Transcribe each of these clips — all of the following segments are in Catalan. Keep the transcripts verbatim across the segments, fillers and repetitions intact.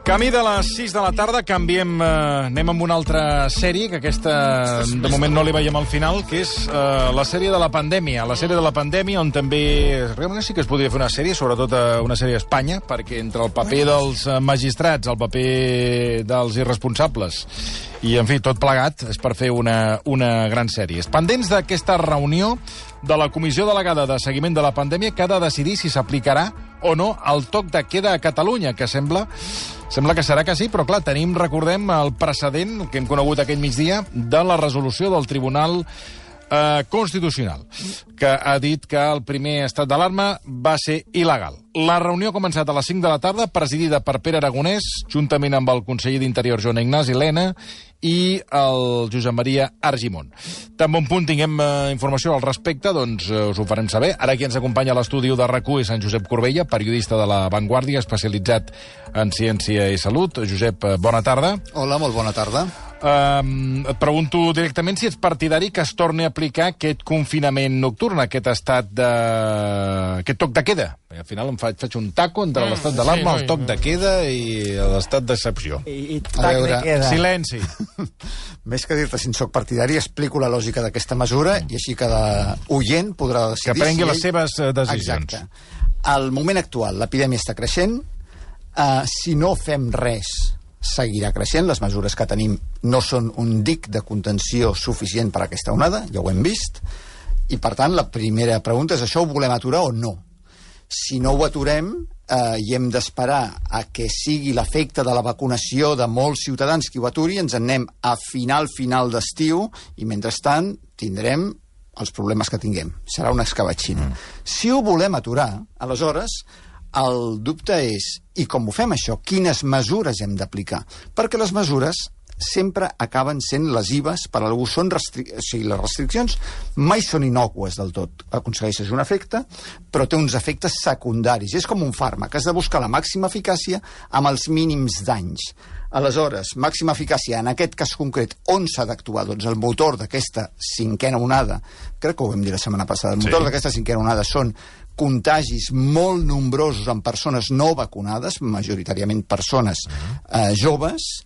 Camí de les sis de la tarda, canviem, eh, anem amb una altra sèrie, que aquesta de moment no li veiem al final, que és eh, la sèrie de la pandèmia. La sèrie de la pandèmia, on també realment sí que es podria fer una sèrie, sobretot eh, una sèrie a Espanya, perquè entre el paper dels eh, magistrats, el paper dels irresponsables, i, en fi, tot plegat, és per fer una, una gran sèrie. Pendents d'aquesta reunió de la Comissió Delegada de Seguiment de la Pandèmia, que ha de decidir si s'aplicarà o no el toc de queda a Catalunya, que sembla... Sembla que serà que sí, però clar, tenim, recordem, el precedent que hem conegut aquell migdia de la resolució del Tribunal eh, Constitucional, que ha dit que el primer estat d'alarma va ser il·legal. La reunió ha començat a les cinc de la tarda, presidida per Pere Aragonès, juntament amb el conseller d'Interior, Joan Ignasi Elena, i el Josep Maria Argimon. Tan bon punt tinguem eh, informació al respecte, doncs eh, us ho farem saber. Ara qui ens acompanya a l'estudi de RAC u és en Josep Corbella, periodista de La Vanguardia, especialitzat en ciència i salut. Josep, eh, bona tarda. Hola, molt bona tarda. Um, et pregunto directament si ets partidari que es torni a aplicar aquest confinament nocturn, aquest estat de... aquest toc de queda. Al final em faig, faig un taco entre mm, l'estat d'alarma, sí, el toc de queda i l'estat d'excepció. I, i tac de queda. Silenci. Més que dir-te si en soc partidari, explico la lògica d'aquesta mesura i així cada oient podrà decidir... Que prengui si les ell... seves decisions. Exacte. Al moment actual, l'epidèmia està creixent. Uh, si no fem res, seguirà creixent. Les mesures que tenim no són un dic de contenció suficient per a aquesta onada, ja ho hem vist. I, per tant, la primera pregunta és: això ho volem aturar o no? Si no ho aturem eh, i hem d'esperar a que sigui l'efecte de la vacunació de molts ciutadans qui ho aturi, ens en anem a final, final d'estiu, i mentrestant tindrem els problemes que tinguem. Serà una escabatxina. Mm. Si ho volem aturar, aleshores, el dubte és, i com ho fem això? Quines mesures hem d'aplicar? Perquè les mesures sempre acaben sent lesives per a algú. Són restri... o sigui, les restriccions mai són innòcues del tot. Aconsegueixes un efecte, però té uns efectes secundaris. És com un fàrmac. Has de buscar la màxima eficàcia amb els mínims danys. Aleshores, màxima eficàcia, en aquest cas concret, on s'ha d'actuar? Doncs el motor d'aquesta cinquena onada, crec que ho vam dir la setmana passada, el motor sí. d'aquesta cinquena onada són contagis molt nombrosos en persones no vacunades, majoritàriament persones eh, joves.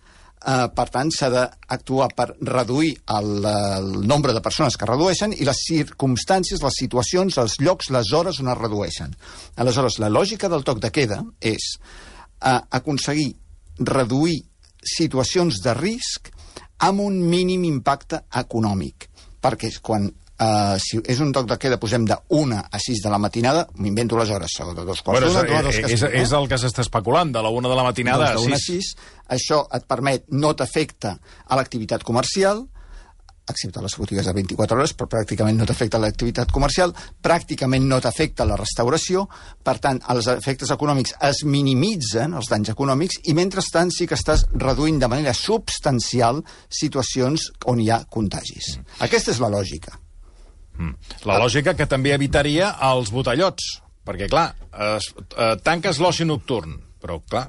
Uh, per tant, s'ha d'actuar per reduir el, el nombre de persones que redueixen i les circumstàncies, les situacions, els llocs, les hores on es redueixen. Aleshores, la lògica del toc de queda és uh, aconseguir reduir situacions de risc amb un mínim impacte econòmic. Perquè quan Uh, si és un toc de queda, posem de una a sis de la matinada, m'invento les hores, de dos quarts bueno, d'una, és, és, és, és el que s'està especulant, de la una de la matinada doncs a sis. Això et permet, no t'afecta a l'activitat comercial, excepte les botigues de vint-i-quatre hores, però pràcticament no t'afecta l'activitat comercial, pràcticament no t'afecta la restauració, per tant, els efectes econòmics es minimitzen, els danys econòmics, i mentrestant sí que estàs reduint de manera substancial situacions on hi ha contagis. Mm. Aquesta és la lògica. Mm. La lògica que també evitaria els botellots, perquè, clar, es, eh, tanques l'oci nocturn, però, clar,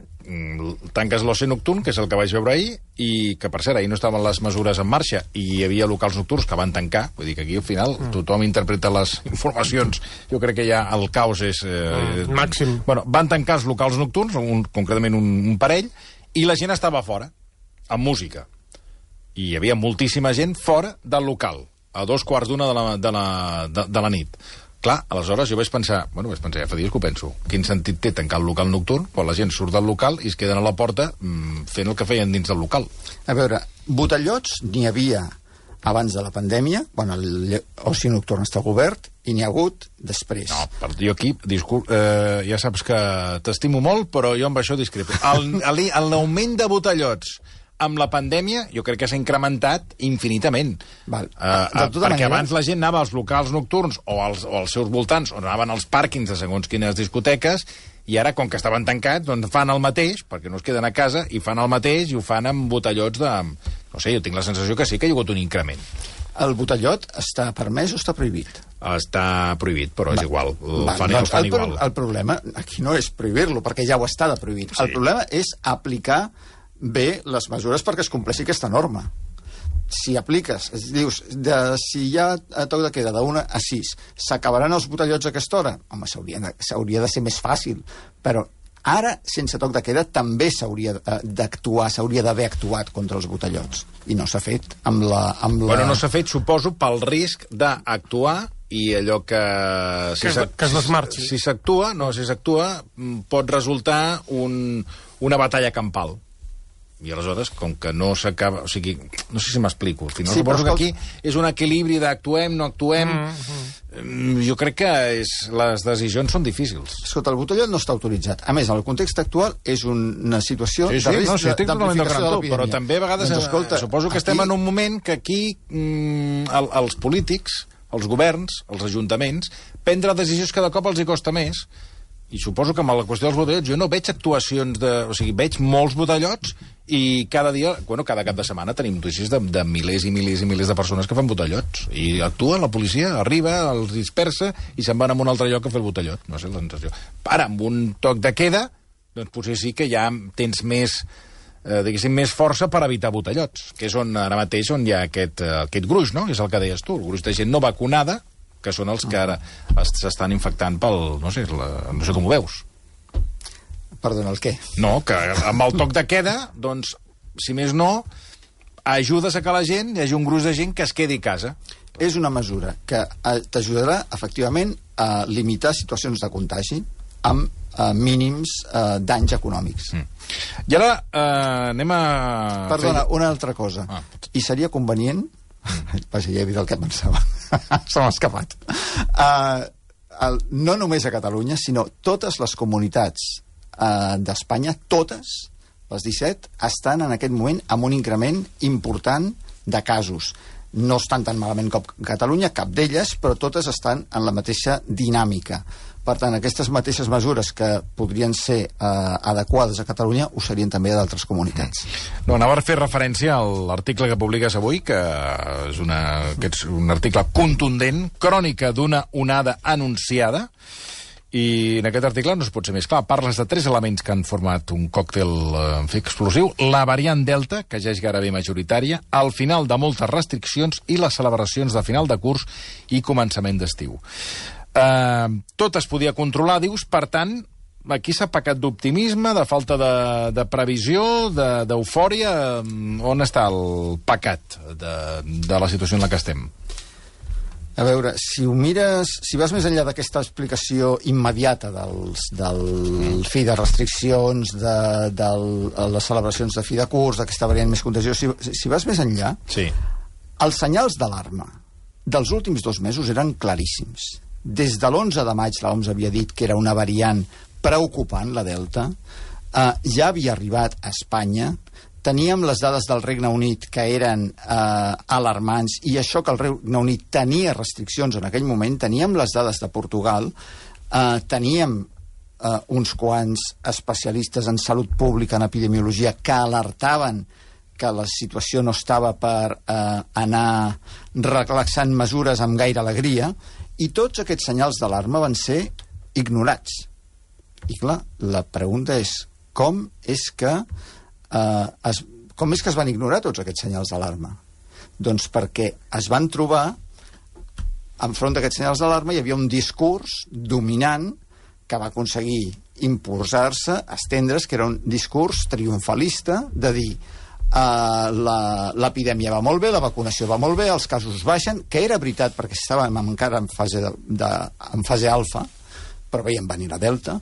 tanques l'oci nocturn, que és el que vaig veure ahir, i que, per cert, ahir no estaven les mesures en marxa, i hi havia locals nocturns que van tancar, vull dir que aquí, al final, mm. tothom interpreta les informacions. Jo crec que ja el caos és... Eh, mm, màxim. Bueno, van tancar els locals nocturns, un, concretament un, un parell, i la gent estava fora, amb música. I hi havia moltíssima gent fora del local, a dos quarts d'una de, la, de, la, de, de la nit. Clar, aleshores jo vaig pensar, bueno, vaig pensar, ja fa dies que ho penso, quin sentit té tancar el local nocturn quan la gent surt del local i es queden a la porta mmm, fent el que feien dins del local? A veure, botellots n'hi havia abans de la pandèmia, quan l'oci nocturn està obert, i n'hi ha hagut després. No, per jo aquí, discurs, eh, ja saps que t'estimo molt, però jo amb això discrepo. L'augment de botellots amb la pandèmia, jo crec que s'ha incrementat infinitament. Val. Uh, uh, perquè manera... abans la gent anava als locals nocturns o als, o als seus voltants, o anaven als pàrquings de segons quines discoteques, i ara, com que estaven tancats, doncs fan el mateix, perquè no es queden a casa, i fan el mateix i ho fan amb botellots de... No sé, jo tinc la sensació que sí que hi ha hagut un increment. El botellot està permès o està prohibit? Està prohibit, però Va. és igual. El Va, fan, doncs, el fan el, igual. El problema aquí no és prohibir-lo, perquè ja ho està de prohibit. Sí. El problema és aplicar bé les mesures perquè es compleixi aquesta norma. Si apliques, dius, de, si hi ha toc de queda d'una a sis, s'acabaran els botellots a aquesta hora? Home, s'hauria de, s'hauria de ser més fàcil, però Ara, sense toc de queda, també s'hauria d'actuar, s'hauria d'haver actuat contra els botellots. I no s'ha fet amb la... Amb la... Bueno, no s'ha fet, suposo, pel risc d'actuar i allò que... Si que, que es desmarxi. Si s'actua, no, si s'actua, pot resultar un, una batalla campal. I aleshores, com que no s'acaba... O sigui, no sé si m'explico. Al final, sí, suposo que aquí és un equilibri d'actuem, no actuem... Mm-hmm. Jo crec que és, les decisions són difícils. Escolta, el botellot no està autoritzat. A més, en el context actual és una situació sí, sí, de risc no, sí, d'amplificació de l'epidèmia. Però també a vegades... Doncs, escolta, suposo que aquí... estem en un moment que aquí mm, el, els polítics, els governs, els ajuntaments, prendre decisions cada cop els hi costa més. I suposo que amb la qüestió dels botellots jo no veig actuacions de... O sigui, veig molts botellots i cada dia, bueno, cada cap de setmana tenim notícies de, de milers i milers i milers de persones que fan botellots. I actua, la policia arriba, els dispersa i se'n van a un altre lloc a fer el botellot. No sé, la sensació. Ara, amb un toc de queda, doncs potser sí que ja tens més, eh, diguéssim, més força per evitar botellots, que és on ara mateix on hi ha aquest, eh, aquest gruix, no? És el que deies tu, el gruix de gent no vacunada, que són els que ara s'estan infectant pel... No sé, la, no sé com ho veus. Perdona, el què? No, que amb el toc de queda, doncs, si més no, ajudes a que la gent, hi hagi un gruix de gent que es quedi a casa. És una mesura que t'ajudarà, efectivament, a limitar situacions de contagi amb eh, mínims eh, danys econòmics. Mm. I ara eh, anem a... Perdona, una altra cosa. Ah. I seria convenient... Vaja, ja he dit el que pensava. Se m'ha escapat. Uh, el, no només a Catalunya, sinó totes les comunitats uh, d'Espanya, totes, les disset, estan en aquest moment amb un increment important de casos. No estan tan malament com Catalunya, cap d'elles, però totes estan en la mateixa dinàmica. Per tant, aquestes mateixes mesures que podrien ser eh, adequades a Catalunya ho serien també a d'altres comunitats. No, anava a fer referència a l'article que publiques avui, que és, una, que és un article contundent, crònica d'una onada anunciada, i en aquest article no es pot ser més clar. Parles de tres elements que han format un còctel en fi, explosiu. La variant Delta, que ja és gairebé majoritària, el final de moltes restriccions i les celebracions de final de curs i començament d'estiu. Uh, tot es podia controlar, dius, per tant, aquí s'ha pecat d'optimisme, de falta de, de previsió, d'eufòria. De, on està el pecat de, de la situació en la que estem? A veure, si ho mires, si vas més enllà d'aquesta explicació immediata dels, del fi de restriccions, de, de les celebracions de fi de curs, d'aquesta variant més contagiosa, si, si vas més enllà, sí. Els senyals d'alarma dels últims dos mesos eren claríssims. Des de l'onze de maig l'O M S havia dit que era una variant preocupant, la Delta, eh, ja havia arribat a Espanya, teníem les dades del Regne Unit que eren eh, alarmants, i això que el Regne Unit tenia restriccions en aquell moment, teníem les dades de Portugal, eh, teníem eh, uns quants especialistes en salut pública, en epidemiologia, que alertaven que la situació no estava per eh, anar relaxant mesures amb gaire alegria, i tots aquests senyals d'alarma van ser ignorats. I clar, la pregunta és com és que eh, es, com és que es van ignorar tots aquests senyals d'alarma? Doncs perquè es van trobar enfront d'aquests senyals d'alarma hi havia un discurs dominant que va aconseguir imposar-se, estendre's, que era un discurs triomfalista de dir Uh, l'epidèmia va molt bé, la vacunació va molt bé, els casos baixen, que era veritat perquè estàvem encara en fase, de, de, en fase alfa, però veiem venir la delta,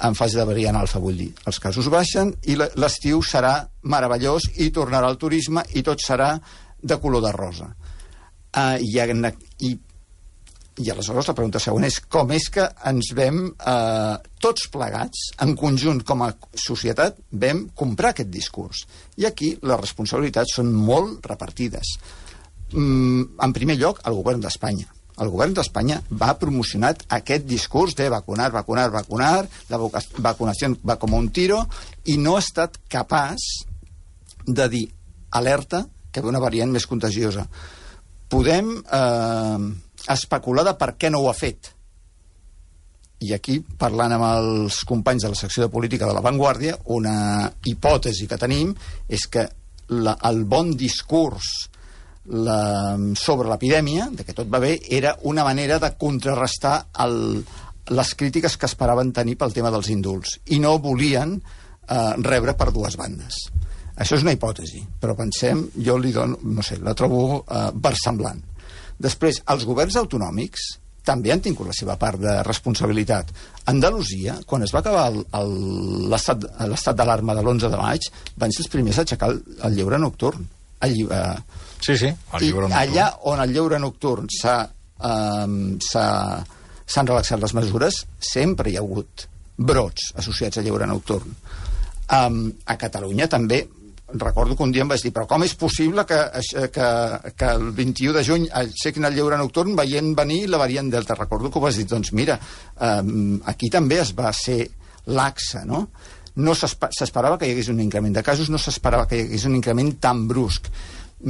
en fase de variant alfa, vull dir, els casos baixen i l'estiu serà meravellós i tornarà el turisme i tot serà de color de rosa. Uh, i, i I aleshores la pregunta següent és com és que ens vam, eh, tots plegats, en conjunt com a societat, vam comprar aquest discurs. I aquí les responsabilitats són molt repartides. Mm, en primer lloc, el govern d'Espanya. El govern d'Espanya va promocionar aquest discurs de vacunar, vacunar, vacunar, la vacunació va com un tiro, i no ha estat capaç de dir alerta que ve una variant més contagiosa. Podem eh, especular de per què no ho ha fet. I aquí, parlant amb els companys de la secció de política de La Vanguardia, una hipòtesi que tenim és que la, el bon discurs la, sobre l'epidèmia, de que tot va bé, era una manera de contrarrestar el, les crítiques que esperaven tenir pel tema dels indults, i no volien eh, rebre per dues bandes. Això és una hipòtesi, però pensem, jo li dono, no sé, la trobo eh, versemblant. Després, els governs autonòmics també han tingut la seva part de responsabilitat. Andalusia, quan es va acabar l'estat d'alarma de l'onze de maig, van ser els primers a aixecar el, el lleure nocturn. El, eh, sí, sí, el lleure nocturn. I allà on el lleure nocturn s'ha, eh, s'han relaxat les mesures, sempre hi ha hagut brots associats al lleure nocturn. Um, a Catalunya també, recordo que un dia em vaig dir, però com és possible que, que, que el vint-i-u de juny aixequin el lleure nocturn veient venir la variant Delta? Recordo que ho vas dir, doncs mira, um, aquí també es va ser laxa, no? No s'esperava que hi hagués un increment de casos, no s'esperava que hi hagués un increment tan brusc.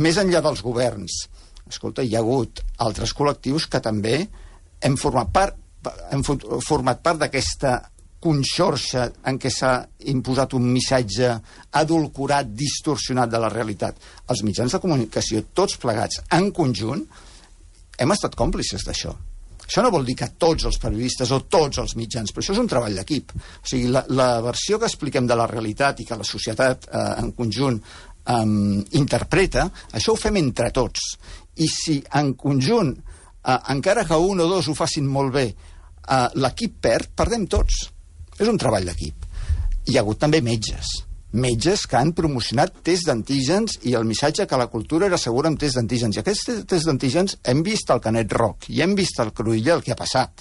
Més enllà dels governs, escolta, hi ha hagut altres col·lectius que també hem format part, hem format part d'aquesta conxorxa en què s'ha imposat un missatge adulcorat, distorsionat de la realitat. Els mitjans de comunicació, tots plegats, en conjunt, hem estat còmplices d'això. Això no vol dir que tots els periodistes o tots els mitjans, però això és un treball d'equip. O sigui, la, la versió que expliquem de la realitat i que la societat eh, en conjunt eh, interpreta, això ho fem entre tots. I si en conjunt, eh, encara que un o dos ho facin molt bé, eh, l'equip perd, perdem tots. És un treball d'equip. Hi ha hagut també metges. Metges que han promocionat tests d'antígens i el missatge que la cultura era segura amb tests d'antígens. I aquests tests d'antígens hem vist el Canet Roc i hem vist el Cruïlla el que ha passat.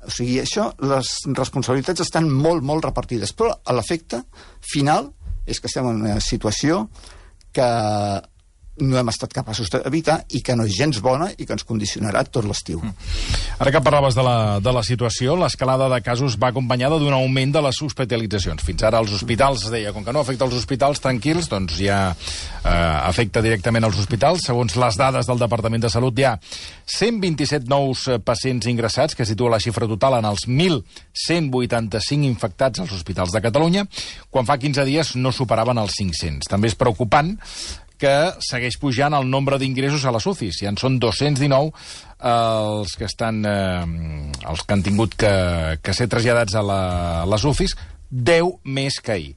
O sigui, això, les responsabilitats estan molt, molt repartides. Però l'efecte final és que estem en una situació que no hem estat capaços d'evitar i que no és gens bona i que ens condicionarà tot l'estiu. Ara que parlaves de la, de la situació, l'escalada de casos va acompanyada d'un augment de les hospitalitzacions. Fins ara els hospitals, es deia, com que no afecta els hospitals tranquils, doncs ja eh, afecta directament els hospitals. Segons les dades del Departament de Salut, hi ha cent vint-i-set nous pacients ingressats, que situa la xifra total en els mil cent vuitanta-cinc infectats als hospitals de Catalunya, quan fa quinze dies no superaven els cinc-cents. També és preocupant que segueix pujant el nombre d'ingressos a les U C Is. Ja en són dos-cents dinou eh, els que estan eh, els que han tingut que, que ser traslladats a, la, a les U C Is, deu més que ahir.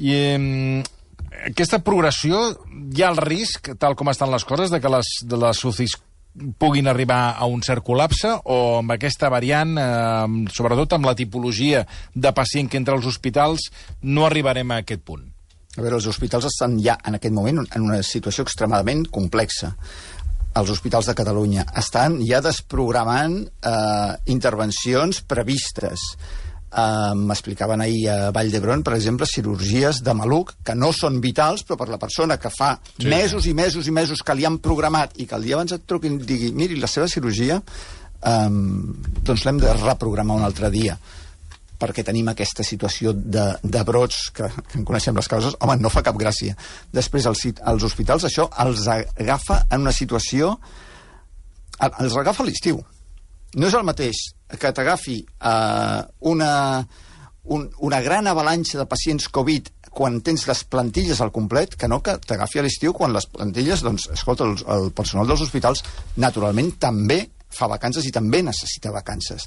I eh, aquesta progressió, hi ha el risc, tal com estan les coses, de que les, de les U C Is puguin arribar a un cert col·lapse, o amb aquesta variant, eh, sobretot amb la tipologia de pacient que entra als hospitals, no arribarem a aquest punt? A veure, els hospitals estan ja en aquest moment en una situació extremadament complexa. Els hospitals de Catalunya estan ja desprogramant eh, intervencions previstes. Eh, M'explicaven ahir a Vall d'Hebron, per exemple, cirurgies de maluc que no són vitals, però per la persona que fa sí. mesos i mesos i mesos que li han programat i que el dia abans et truquin i digui, miri, la seva cirurgia eh, doncs l'hem de reprogramar un altre dia, perquè tenim aquesta situació de, de brots, que, que en coneixem les causes, home, no fa cap gràcia. Després, els, els hospitals, això els agafa en una situació... Els agafa a l'estiu. No és el mateix que t'agafi eh, una, un, una gran avalanxa de pacients Covid quan tens les plantilles al complet, que no que t'agafi a l'estiu quan les plantilles, doncs, escolta, el, el personal dels hospitals naturalment també fa vacances i també necessita vacances.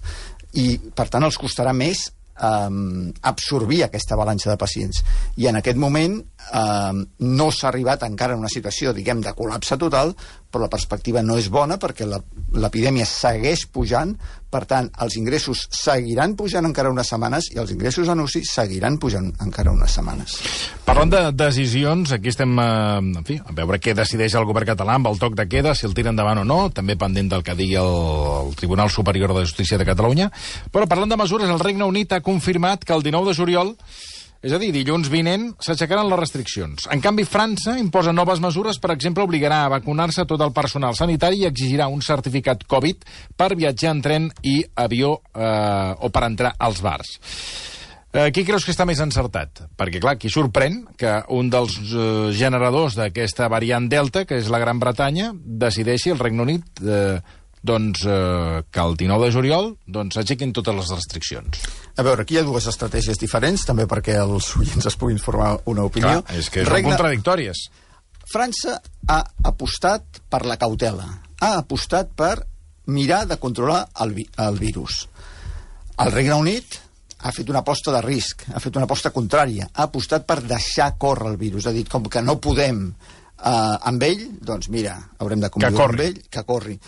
I, per tant, els costarà més Um, absorbir aquesta avalanxa de pacients. I en aquest moment um, no s'ha arribat encara a una situació, diguem, de col·lapse total, però la perspectiva no és bona perquè l'epidèmia segueix pujant, per tant, els ingressos seguiran pujant encara unes setmanes i els ingressos en U C I seguiran pujant encara unes setmanes. Parlant de decisions, aquí estem eh, en fi, a veure què decideix el govern català amb el toc de queda, si el tira endavant o no, també pendent del que digui el, el Tribunal Superior de Justícia de Catalunya. Però parlant de mesures, el Regne Unit ha confirmat que el dinou de juliol, és a dir, dilluns vinent, s'aixecaran les restriccions. En canvi, França imposa noves mesures, per exemple, obligarà a vacunar-se tot el personal sanitari i exigirà un certificat Covid per viatjar en tren i avió eh, o per entrar als bars. Eh, qui creus que està més encertat? Perquè, clar, aquí sorprèn que un dels eh, generadors d'aquesta variant Delta, que és la Gran Bretanya, decideixi el Regne Unit eh, doncs, eh, que el dinou de juliol doncs, aixequin totes les restriccions. A veure, aquí hi ha dues estratègies diferents, també perquè els oients es puguin formar una opinió. Clar, és que són Regne... contradictòries. França ha apostat per la cautela, ha apostat per mirar de controlar el, vi el virus. El Regne Unit ha fet una aposta de risc, ha fet una aposta contrària, ha apostat per deixar córrer el virus, ha dit, com que no podem eh, amb ell, doncs mira, haurem de conviure amb ell, que corri.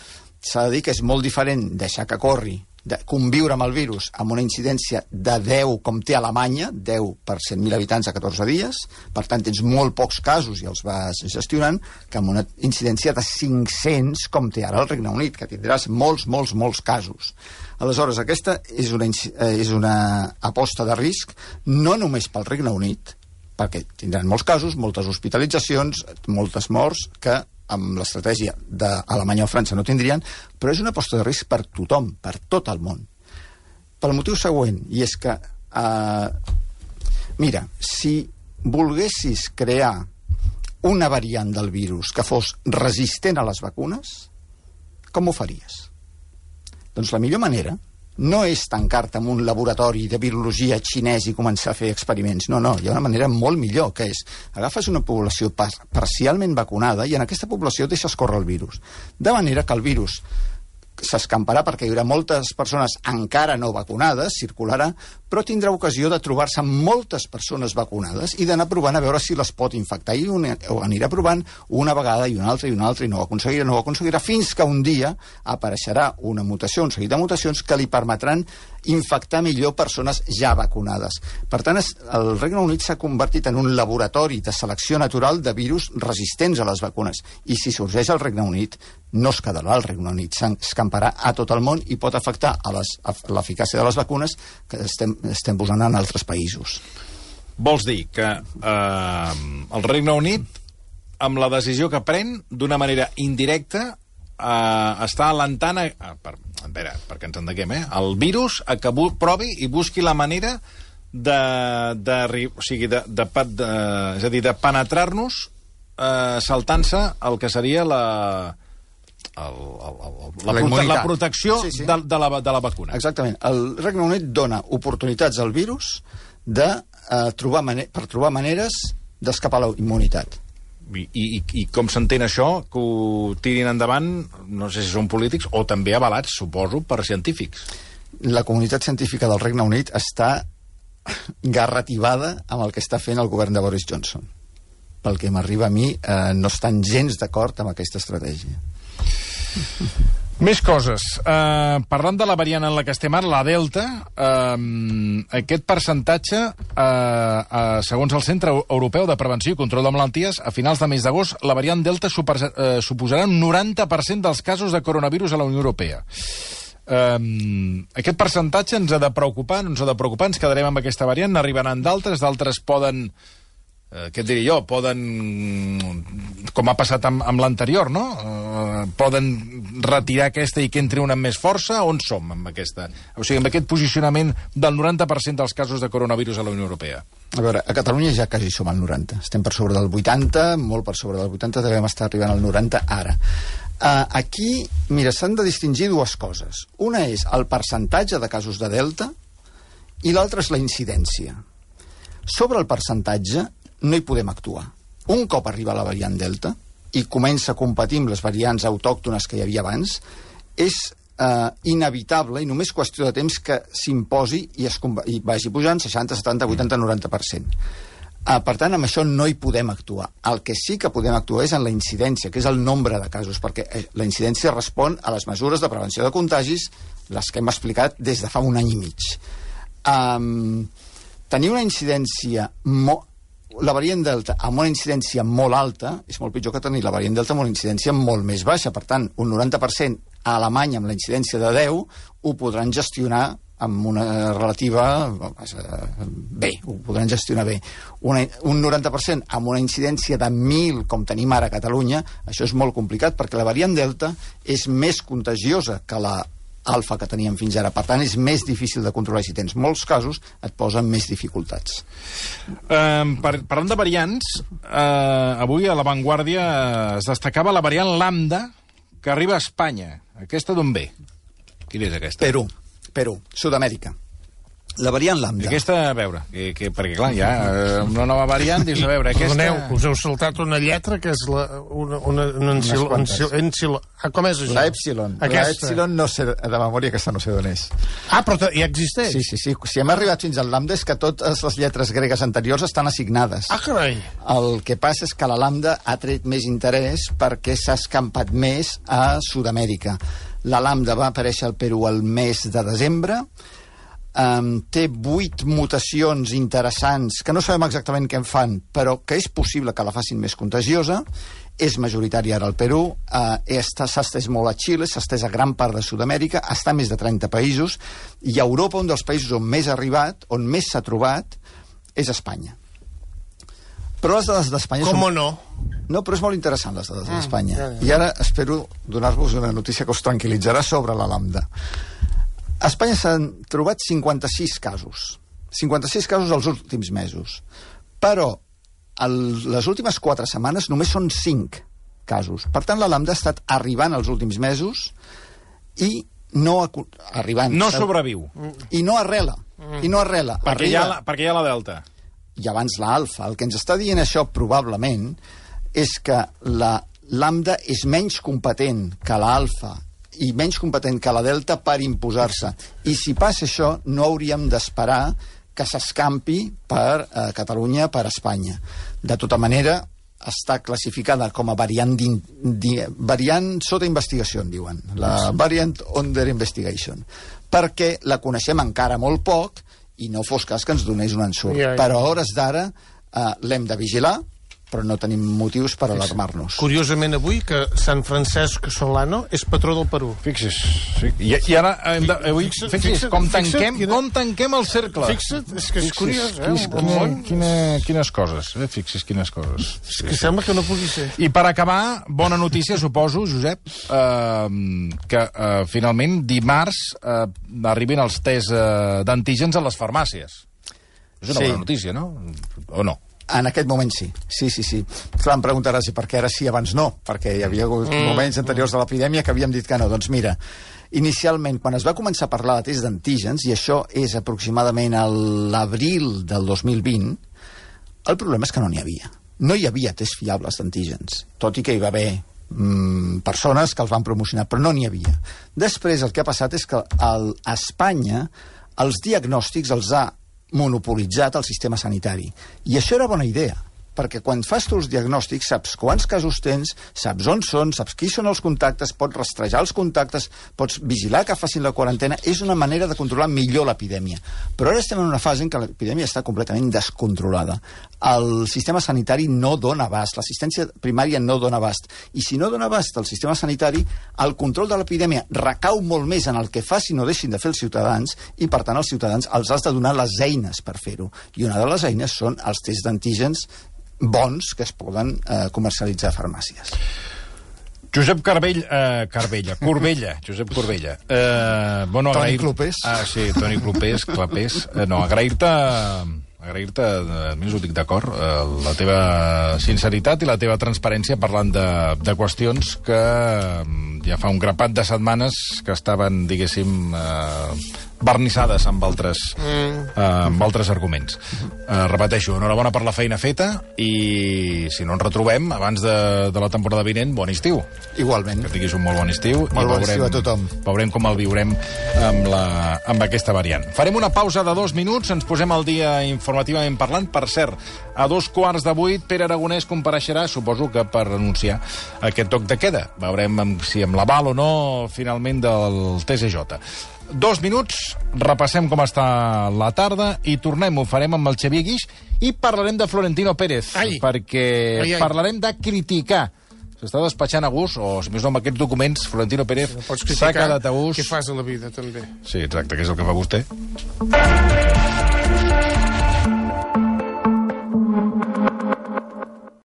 S'ha de dir que és molt diferent deixar que corri, de conviure amb el virus amb una incidència de deu, com té Alemanya, deu per cent mil habitants a catorze dies, per tant tens molt pocs casos i els vas gestionant, que amb una incidència de cinc-cents, com té ara el Regne Unit, que tindràs molts, molts, molts casos. Aleshores, aquesta és una, és una aposta de risc, no només pel Regne Unit, perquè tindran molts casos, moltes hospitalitzacions, moltes morts, que amb l'estratègia d'Alemanya o França no tindrien, però és una aposta de risc per tothom, per tot el món. Pel motiu següent, i és que, eh, mira, si volguessis crear una variant del virus que fos resistent a les vacunes, com ho faries? Doncs la millor manera no és tancar-te en un laboratori de virologia xinès i començar a fer experiments. No, no, hi ha una manera molt millor, que és agafes una població par parcialment vacunada i en aquesta població deixes córrer el virus. De manera que el virus s'escamparà perquè hi haurà moltes persones encara no vacunades, circularà, però tindrà ocasió de trobar-se amb moltes persones vacunades i d'anar provant a veure si les pot infectar. I un, ho anirà provant una vegada i una altra i una altra i no ho aconseguirà, no ho aconseguirà, fins que un dia apareixerà una mutació, un seguit de mutacions que li permetran infectar millor persones ja vacunades. Per tant, el Regne Unit s'ha convertit en un laboratori de selecció natural de virus resistents a les vacunes. I si sorgeix al Regne Unit, no es quedarà al Regne Unit, s'escamparà a tot el món i pot afectar a l'eficàcia de les vacunes que estem, estem posant en altres països. Vols dir que eh, el Regne Unit, amb la decisió que pren, d'una manera indirecta, Uh, està alentant a, a, per, a veure, perquè ens entenguem, eh? el virus a que provi i busqui la manera de, de, o sigui, de, de, de, és a dir, de penetrar-nos uh, saltant-se el que seria la el, el, el, la, prote la protecció sí, sí. De, de, la, de la vacuna. Exactament. El Regne Unit dona oportunitats al virus de, uh, trobar per trobar maneres d'escapar a la immunitat. I, i, i com s'entén això, que ho tirin endavant, no sé si són polítics o també avalats, suposo, per científics? La comunitat científica del Regne Unit està garrativada amb el que està fent el govern de Boris Johnson. Pel que m'arriba a mi, eh, no estan gens d'acord amb aquesta estratègia. Més coses. Uh, parlant de la variant en la que estem ara, la Delta, uh, aquest percentatge, uh, uh, segons el Centre Europeu de Prevenció i Control de Malalties, a finals de mes d'agost, la variant Delta super, uh, suposarà un noranta per cent dels casos de coronavirus a la Unió Europea. Uh, aquest percentatge ens ha de preocupar, no ens ha de preocupar, ens quedarem amb aquesta variant, n'arribaran d'altres, d'altres poden... Eh, què et diré jo, poden, com ha passat amb, amb l'anterior, no? Eh, poden retirar aquesta i que entri una amb més força? On som amb aquesta? O sigui, amb aquest posicionament del noranta per cent dels casos de coronavirus a la Unió Europea. A veure, a Catalunya ja quasi som al noranta. Estem per sobre del vuitanta, molt per sobre del vuitanta, devem estar arribant al noranta ara. Uh, aquí, mira, s'han de distingir dues coses. Una és el percentatge de casos de Delta i l'altra és la incidència. Sobre el percentatge, no hi podem actuar. Un cop arriba la variant Delta i comença a competir amb les variants autòctones que hi havia abans, és eh, inevitable i només qüestió de temps que s'imposi i, es, i vagi pujant seixanta, setanta, vuitanta, noranta per cent. Eh, per tant, amb això no hi podem actuar. El que sí que podem actuar és en la incidència, que és el nombre de casos, perquè la incidència respon a les mesures de prevenció de contagis, les que hem explicat des de fa un any i mig. Um, tenir una incidència molt la variant Delta amb una incidència molt alta és molt pitjor que tenir la variant Delta amb una incidència molt més baixa. Per tant, un noranta per cent a Alemanya amb la incidència de deu ho podran gestionar amb una relativa... bé, ho podran gestionar bé. Una, un noranta per cent amb una incidència de mil, com tenim ara a Catalunya, això és molt complicat perquè la variant Delta és més contagiosa que la alfa que teníem fins ara. Per tant, és més difícil de controlar. Si tens molts casos, et posen més dificultats. Uh, par parlant de variants, uh, avui a La Vanguardia es destacava la variant Lambda que arriba a Espanya. Aquesta d'on ve? Quina és aquesta? Perú. Perú, Sud-amèrica. La variant lambda. Aquesta, a veure, que, que, perquè clar, hi ha eh, una nova variant, dius, a veure, aquesta... Perdoneu, us heu saltat una lletra que és la, una, una, una encil, encil, encil, ah, com és això? La Epsilon. Aquesta. La Epsilon no sé, de memòria aquesta no sé d'on és. Ah, però ja existeix? Sí, sí, sí. Si hem arribat fins al lambda és que totes les lletres gregues anteriors estan assignades. Ah, carai! El que passa és que la lambda ha tret més interès perquè s'ha escampat més a Sud-amèrica. La lambda va aparèixer al Perú el mes de desembre. Um, té vuit mutacions interessants que no sabem exactament què en fan, però que és possible que la facin més contagiosa. És majoritària ara al Perú, uh, s'ha estès molt a Xile, s'ha estès a gran part de Sud-amèrica, està a més de trenta països, i a Europa un dels països on més ha arribat, on més s'ha trobat, és Espanya. Però les dades d'Espanya Com són... no? No, però és molt interessant, les dades Mm, d'Espanya. ja, ja. I ara espero donar-vos una notícia que us tranquil·litzarà sobre la lambda. A Espanya s'han trobat cinquanta-sis casos. cinquanta-sis casos els últims mesos. Però el, les últimes quatre setmanes només són cinc casos. Per tant, la lambda ha estat arribant els últims mesos i no... Arribant, no sobreviu. I no arrela. I no arrela. Perquè hi ha la, perquè hi ha la delta. I abans la alfa. El que ens està dient això, probablement, és que la lambda és menys competent que la alfa i menys competent que la delta per imposar-se. I si passa això, no hauríem d'esperar que s'escampi per eh, Catalunya, per Espanya. De tota manera, està classificada com a variant, variant sota investigació, en diuen. La variant under investigation. Perquè la coneixem encara molt poc i no fos cas que ens donés un ensurt. Ja, ja. Però a hores d'ara eh, l'hem de vigilar, però no tenim motius per alarmar-nos. Curiosament avui que Sant Francesc Solano és patró del Perú. Fixi's. Sí. I, I ara hem de... Avui, Fixa't, fixi's, fixa't, com fixa't, tanquem, quina- com tanquem el cercle. Fixa't, és que és Fixi's, curiós, eh? quins- Un quina, món. quina, quines coses, eh? Fixi's quines coses. És que sembla que no pugui ser. I per acabar, bona notícia, suposo, Josep, eh, que eh, finalment dimarts eh, arribin els tests eh, d'antígens a les farmàcies. És una Sí. bona notícia, no? O no? En aquest moment sí, sí, sí, sí. Clar, em preguntaràs per què ara sí, abans no, perquè hi havia hagut mm. moments anteriors de l'epidèmia que havíem dit que no. Doncs mira, inicialment, quan es va començar a parlar de test d'antígens, i això és aproximadament a l'abril del dos mil vint, el problema és que no n'hi havia. No hi havia tests fiables d'antígens, tot i que hi va haver mm, persones que els van promocionar, però no n'hi havia. Després el que ha passat és que el, a Espanya els diagnòstics els ha monopolitzat el sistema sanitari. I això era bona idea, perquè quan fas tu els diagnòstics saps quants casos tens, saps on són, saps qui són els contactes, pots rastrejar els contactes, pots vigilar que facin la quarantena, és una manera de controlar millor l'epidèmia. Però ara estem en una fase en què l'epidèmia està completament descontrolada. El sistema sanitari no dona abast, l'assistència primària no dona abast, i si no dona abast el sistema sanitari, el control de l'epidèmia recau molt més en el que facin o deixin de fer els ciutadans, i per tant els ciutadans els has de donar les eines per fer-ho. I una de les eines són els tests d'antígens bons que es poden eh, comercialitzar a farmàcies. Josep Carbell, eh, Carbella, Corbella, Josep Corbella. Eh, bueno, Toni agrair... Clopés. Ah, sí, Toni Clopés, Clapés. Eh, no, agrair-te... agrair-te, a mi us ho dic d'acord, eh, la teva sinceritat i la teva transparència parlant de, de qüestions que ja fa un grapat de setmanes que estaven, diguéssim, eh, barnissades amb altres, mm. eh, amb altres arguments. Eh, repeteixo, enhorabona per la feina feta i si no ens retrobem abans de, de la temporada vinent, bon estiu. Igualment. Que tinguis un molt bon estiu. Molt bon estiu a tothom. Veurem com el viurem amb, la, amb aquesta variant. Farem una pausa de dos minuts, ens posem al dia informativament parlant. Per cert, a dos quarts de vuit, Pere Aragonès compareixerà, suposo que per anunciar aquest toc de queda. Veurem si amb l'aval o no, finalment, del T S J. Dos minuts, repassem com està la tarda i tornem, ho farem amb el Xavier Guix i parlarem de Florentino Pérez, ai. perquè ai, ai. parlarem de criticar. S'està despatxant a gust, o si més no amb aquests documents, Florentino Pérez no s'ha quedat a gust. Què fas a la vida, també? Sí, exacte, que és el que fa vostè.